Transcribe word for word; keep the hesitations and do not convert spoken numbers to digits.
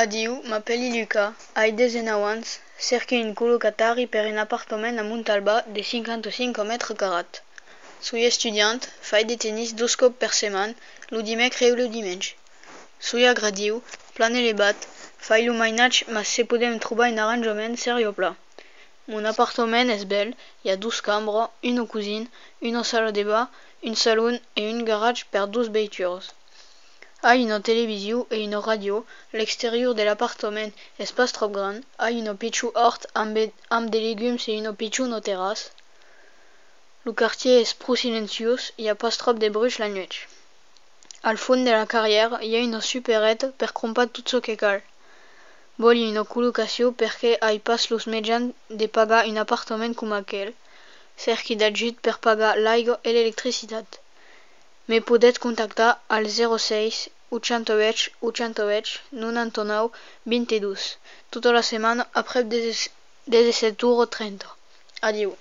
Adiu, m'appelli Luca, hai dezenau ans, cerchi un colocatari per un appartament a Montalba de cinquanta-cinc metres quadrats. Sui estudiant, fai de tennis dos cops per setmana, lo dimecre e lo diumenge. Sui agradiu, plane le bat, fai lo mainatge, ma se podem trobar un arrangement serio pla. Mon appartement és bel, hi ha dos cambres, una cuisine, una sala de bar, un salon e un garage per dos veitures. Hai una televisió e una radio, l'exterior de l'appartement és pas trop gran, hai un pitjor hort amb, amb de legums e un pitjor no terrasse. Lo quartier és prou silenciós, hi ha pas trop de bruix la nuit. Al fons de la carriera hi ha una superette per comprar tot ce que cal. Voli una colocació perquè hai pas los mitjans de pagar un appartament com aquell. Cerchi d'ajut per pagar l'aigua e l'electricitat. Me podet contactar al zero seis oitanta-vuit oitanta-vuit noranta-nou vint-i-dos tota la setmana après disset heures trenta. Adiu.